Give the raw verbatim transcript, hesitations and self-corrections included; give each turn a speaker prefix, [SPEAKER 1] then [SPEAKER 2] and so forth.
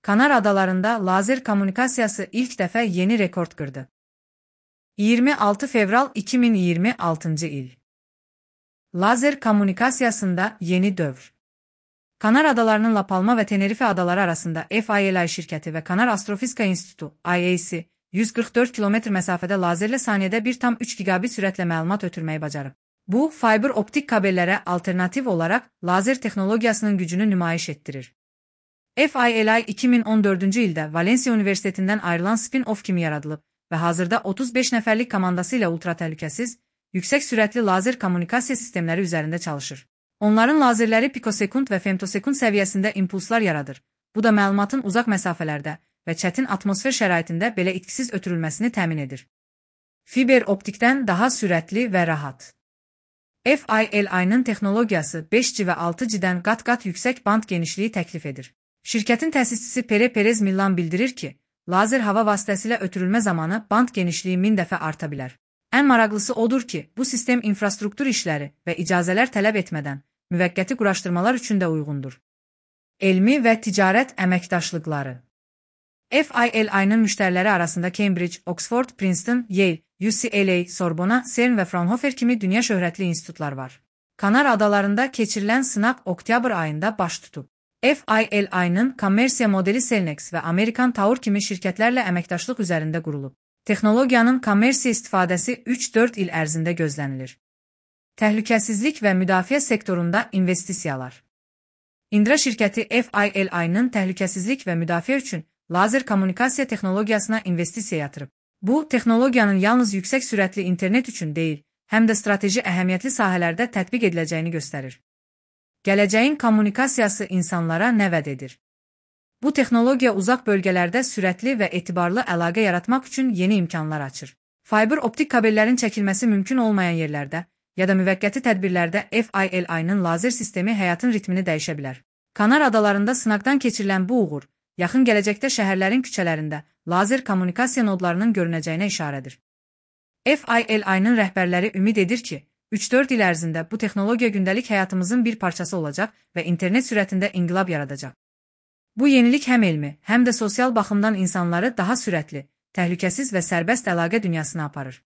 [SPEAKER 1] Kanar adalarında lazer kommunikasiyası ilk dəfə yeni rekord qırdı. iyirmi altı fevral iki min iyirmi altıncı il. Lazer kommunikasiyasında yeni dövr. Kanar adalarının La Palma ve Tenerife adaları arasında F I L I şirkəti ve Kanar Astrofizika İnstitutu I A C yüz qırx dörd kilometr məsafədə lazerlə saniyədə bir tam üç gigabit sürətlə məlumat ötürməyi bacarıb. Bu, fiber optik kabellərə alternativ olaraq lazer texnologiyasının gücünü nümayiş etdirir. F I L I iki min on dördüncü ildə Valencia Universitetindən ayrılan spin-off kimi yaradılıb və hazırda otuz beş nəfərlik komandası ilə ultratəhlükəsiz, yüksək sürətli lazer kommunikasiya sistemləri üzərində çalışır. Onların lazerləri pikosekund və femtosekund səviyyəsində impulslar yaradır. Bu da məlumatın uzaq məsafələrdə və çətin atmosfer şəraitində belə itkisiz ötürülməsini təmin edir. Fiber optikdən daha sürətli və rahat. F I L I-nın texnologiyası beş G və altı G-dən qat-qat yüksək band genişliyi təklif edir. Şirkətin təsisçisi Pere Perez Millan bildirir ki, lazer hava vasitəsilə ötürülmə zamanı band genişliyi min dəfə arta bilər. Ən maraqlısı odur ki, bu sistem infrastruktur işləri və icazələr tələb etmədən müvəqqəti quraşdırmalar üçün də uyğundur. Elmi və ticarət əməkdaşlıqları. F I L I-nın müştəriləri arasında Cambridge, Oxford, Princeton, Yale, U C L A, Sorbona, CERN və Fraunhofer kimi dünya şöhrətli institutlar var. Kanar adalarında keçirilən sınaq oktyabr ayında baş tutub. F I L I-nın kommersiya modeli Cellnex və Amerikan Tower kimi şirkətlərlə əməkdaşlıq üzərində qurulub. Texnologiyanın kommersiya istifadəsi üç dörd il ərzində gözlənilir. Təhlükəsizlik və müdafiə sektorunda investisiyalar. Indra şirkəti F I L I-nın təhlükəsizlik və müdafiə üçün lazer kommunikasiya texnologiyasına investisiya yatırıb. Bu, texnologiyanın yalnız yüksək sürətli internet üçün deyil, həm də strateji əhəmiyyətli sahələrdə tətbiq ediləcəyini göstərir. Gələcəyin kommunikasiyası insanlara nə vəd edir? Bu texnologiya uzaq bölgələrdə sürətli və etibarlı əlaqə yaratmaq üçün yeni imkanlar açır. Fiber optik kabellərin çəkilməsi mümkün olmayan yerlərdə ya da müvəqqəti tədbirlərdə F I L I-nın lazer sistemi həyatın ritmini dəyişə bilər. Kanar adalarında sınaqdan keçirilən bu uğur, yaxın gələcəkdə şəhərlərin küçələrində lazer kommunikasiya nodlarının görünəcəyinə işarədir. F I L I-nın rəhbərləri ümid edir ki, üç dörd il ərzində bu texnologiya gündəlik həyatımızın bir parçası olacaq və internet sürətində inqilab yaradacaq. Bu yenilik həm elmi, həm də sosial baxımdan insanları daha sürətli, təhlükəsiz və sərbəst əlaqə dünyasına aparır.